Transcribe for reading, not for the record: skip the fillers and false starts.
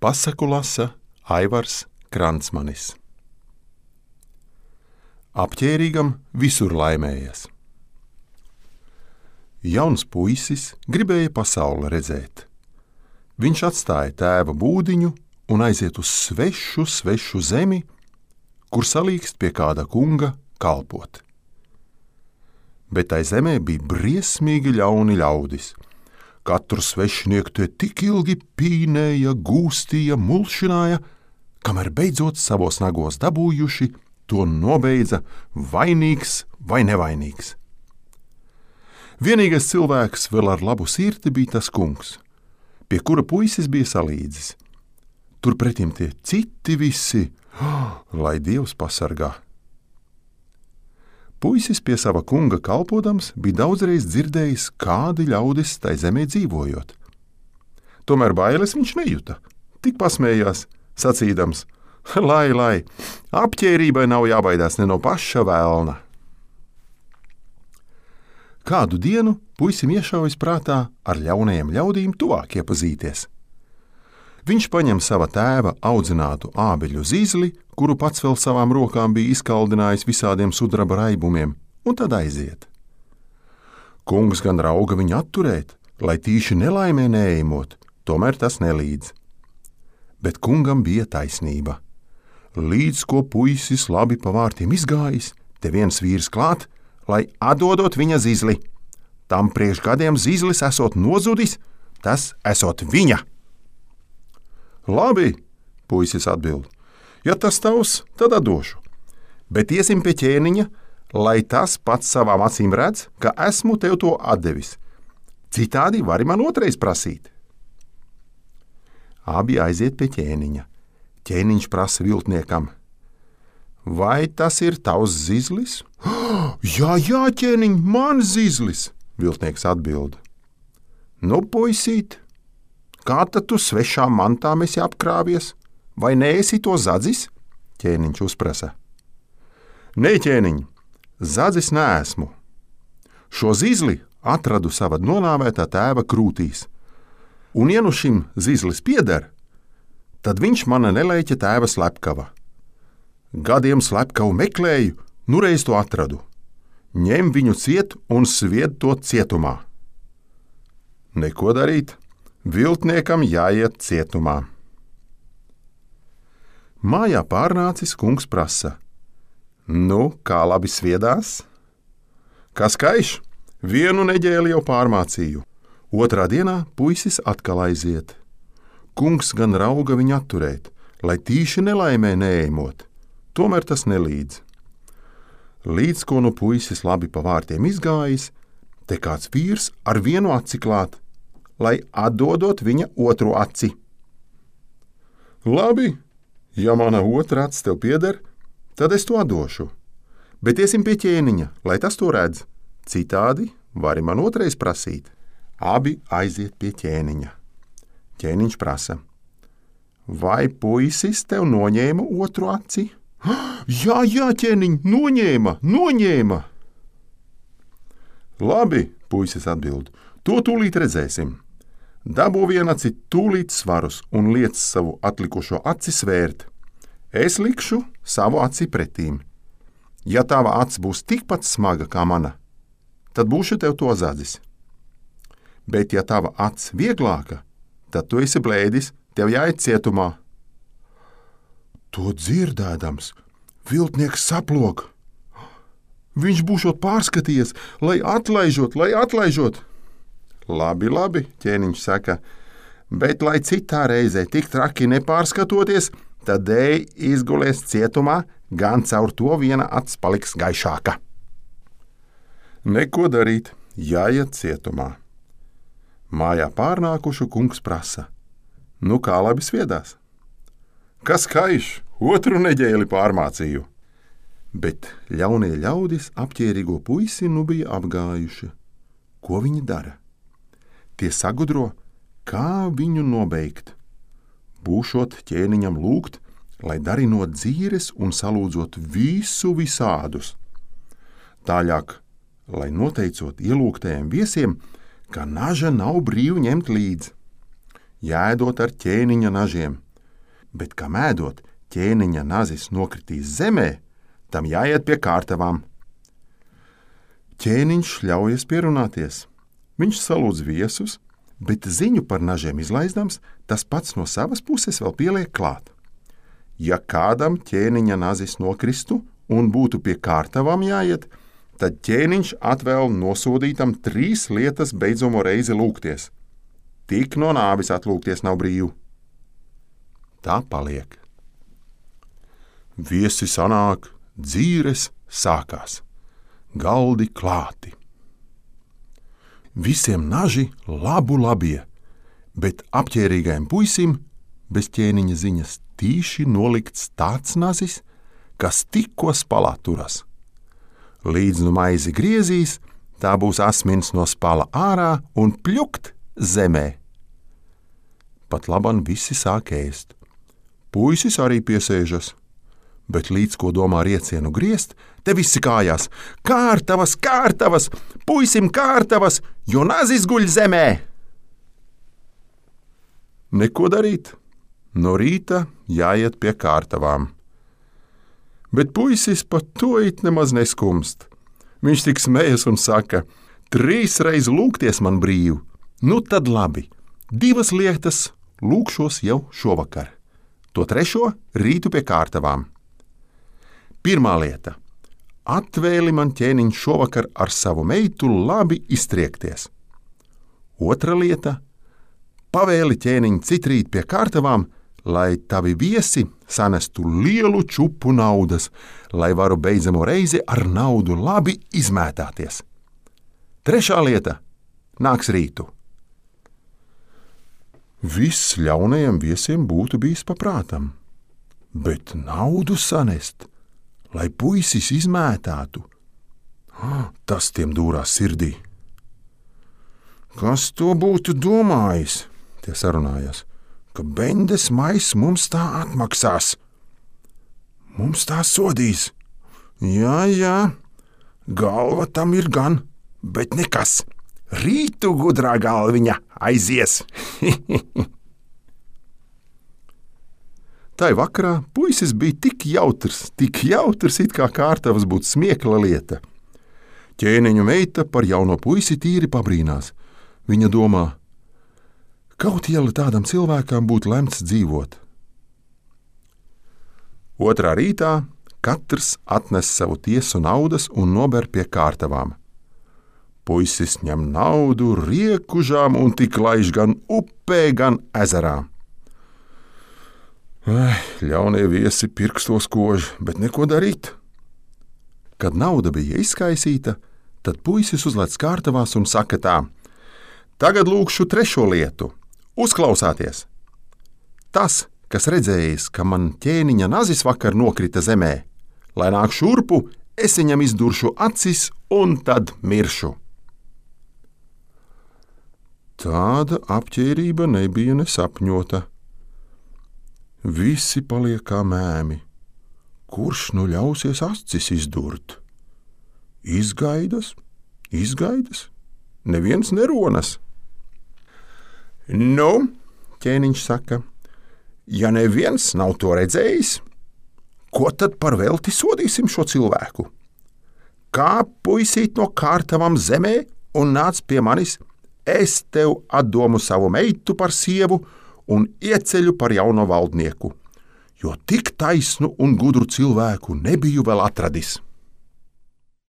Pasaku lasa Aivars Kransmanis. Apģērīgam visur laimējas. Jauns puisis gribēja pasauli redzēt. Viņš atstāja tēva būdiņu un aiziet uz svešu zemi, kur salīkst pie kāda kunga kalpot. Bet tai zemē bija briesmīgi ļauni ļaudis. Katru svešinieku te tik ilgi pīnēja, gūstīja, mulšināja, kamēr beidzot savos nagos dabūjuši, to nobeidza vainīgs vai nevainīgs. Vienīgais cilvēks vēl ar labu sirdi bija tas kungs, pie kura puisis bija salīdzis. Turpretim tie citi visi, lai Dievs pasargā. Puisis pie sava kunga kalpodams bija daudzreiz dzirdējis, kādi ļaudis tai zemē dzīvojot. Tomēr bailes viņš nejuta, tik pasmējās, sacīdams, lai, apģērībai nav jābaidās ne no paša velna. Kādu dienu puisim iešaujas prātā ar ļaunajiem ļaudīm tuvāk iepazīties. Viņš paņem sava tēva audzinātu ābeļu zīzli, kuru pats vēl savām rokām bija izkaldinājis visādiem sudraba raibumiem, un tad aiziet. Kungs gan rauga viņu atturēt, lai tīši nelaimē neejamot, tomēr tas nelīdz. Bet kungam bija taisnība. Līdz ko puisis labi pa vārtiem izgājis, te viens vīrs klāt, lai atdodot viņa zīzli. Tam priekš gadiem zīzlis esot nozudis, tas esot viņa. Labi, puisis atbild, ja tas tavs, tad atdošu. Bet iesim pie ķēniņa, lai tas pats savām acīm redz, ka esmu tev to atdevis. Citādi vari man otrais prasīt. Abi aiziet pie ķēniņa. Ķēniņš prasa viltniekam. Vai tas ir tavs zīzlis? Jā, ķēniņ, man zīzlis, viltnieks atbild. Nu, puisīt, kā tad tu svešām mantām esi apkrāvies, vai neesi to zadzis? Ķēniņš uzprasa. Nē, ķēniņ, zadzis neesmu. Šo zīzli atradu sava nonāvētā tēva krūtīs, un ja nu šim zīzlis pieder, tad viņš mana nelēķa tēva slepkava. Gadiem slepkavu meklēju, nu reiz to atradu. Ņem viņu ciet un svied to cietumā. Neko darīt. Viltniekam jāiet cietumā. Mājā pārnācis kungs prasa. Nu, kā labi sviedās? Kas kaiš? Vienu nedēļu jau pārmācīju. Otrā dienā puisis atkal aiziet. Kungs gan rauga viņu atturēt, lai tīši nelaimē neejamot. Tomēr tas nelīdz. Līdz ko nu puisis labi pa vārtiem izgājis, te kāds vīrs ar vienu aci klāt, lai atdodot viņa otru aci. Labi, ja mana otra acis tev pieder, tad es to atdošu. Bet iesim pie ķēniņa, lai tas to redz. Citādi vari man otrais prasīt. Abi aiziet pie ķēniņa. Ķēniņš prasa. Vai puisis tev noņēma otru aci? Jā, ķēniņ, noņēma. Labi, puisis atbild, to tūlīt redzēsim. Dabū vienaci tūlīt svarus un liec savu atlikušo aci svērt. Es likšu savu aci pretīm. Ja tava acs būs tikpat smaga kā mana, tad būšu tev to zadzis. Bet ja tava acs vieglāka, tad tu esi blēdis, tev jāiet cietumā. To dzirdēdams, viltnieks saplok. Viņš būšot pārskatījies, lai atlaižot. Labi, ķēniņš saka, bet lai citā reizē tik traki nepārskatoties, tad dēļ izgulies cietumā, gan caur to viena acs paliks gaišāka. Neko darīt, jāiet cietumā. Mājā pārnākušu kungs prasa. Nu, kā labi sviedās? Kas kaiš? Otru nedēļu pārmācīju. Bet ļaunie ļaudis apģērīgo puisi nu bija apgājuši. Ko viņi dara? Tie sagudro, kā viņu nobeigt. Būšot ķēniņam lūgt, lai darinot dzīres un salūdzot visu visādus. Tāļāk, lai noteicot ielūgtajiem viesiem, ka naža nav brīvi ņemt līdz. Jēdot ar ķēniņa nažiem, bet kā mēdot, ķēniņa nazis nokritīs zemē, tam jāiet pie kārtavām. Ķēniņš ļaujas pierunāties. Viņš salūdz viesus, bet ziņu par nažiem izlaizdams, tas pats no savas puses vēl pieliek klāt. Ja kādam ķēniņa nazis nokristu un būtu pie kārtavām jāiet, tad ķēniņš atvēl nosodītam 3 lietas beidzamo reizi lūgties. Tik no nāvis atlūgties nav brīvu. Tā paliek. Viesi sanāk, dzīres sākās. Galdi klāti. Visiem naži labu labie, bet apķērīgajam puisim bez ķēniņa ziņas tīši nolikts tāds nazis, kas tikko spalā turas. Līdz nu maizi griezīs, tā būs asmins no spala ārā un pļukt zemē. Pat laban visi sāk ēst. Puisis arī piesēžas, bet līdz ko domā riecienu griezt, te visi kājās. Kārtavas, kārtavas, puisim kārtavas, jo nazis guļ zemē! Neko darīt. No rīta jāiet pie kārtavām. Bet puisis pat to it nemaz neskumst. Viņš tik smējas un saka, 3 reiz lūgties man brīvu. Nu tad labi, 2 lietas lūgšos jau šovakar. To 3. rītu pie kārtavām. Pirmā lieta. Atvēli man ķēniņš šovakar ar savu meitu labi iztriekties. 2. lieta. Pavēli ķēniņ citrīt pie kārtavām, lai tavi viesi sanestu lielu čupu naudas, lai varu beidzamo reizi ar naudu labi izmētāties. 3. lieta. Nāks rītu. Viss ļaunajiem viesiem būtu bijis paprātam, bet naudu sanest, lai puisis izmētātu, tas tiem dūrās sirdī. Kas to būtu domājis? Tie sarunājās, ka bendes maiss mums tā atmaksās. Mums tā sodīs. Jā, galva tam ir gan, bet nekas. Rītu gudrā galviņa aizies. Tai vakarā puisis bija tik jautrs, it kā kārtavas būtu smiekla lieta. Ķēniņu meita par jauno puisi tīri pabrīnās. Viņa domā, kaut iela tādam cilvēkam būtu lemts dzīvot. 2. rītā katrs atnes savu tiesu naudas un nober pie kārtavām. Puisis ņem naudu riekužām un tik laiž gan upē, gan ezerā. Ļaunie viesi pirkstos kož, bet neko darīt. Kad nauda bija izskaisīta, tad puisis uzlec kārtavās un saka tā: Tagad lūkšu 3. lietu. Uzklausāties! Tas, kas redzējis, ka man ķēniņa nazis vakar nokrita zemē, lai nāk šurpu, es viņam izduršu acis un tad miršu. Tāda apķērība nebija nesapņota. Visi paliek kā mēmi. Kurš nu ļausies acis izdurt? Izgaidas, neviens neronas. Nu, ķēniņš saka, ja neviens nav to redzējis, ko tad par velti sodīsim šo cilvēku? Kā puisīt no kārtavām zemē un nāc pie manis, es tev atdomu savu meitu par sievu un ieceļu par jauno valdnieku, jo tik taisnu un gudru cilvēku nebiju vēl atradis.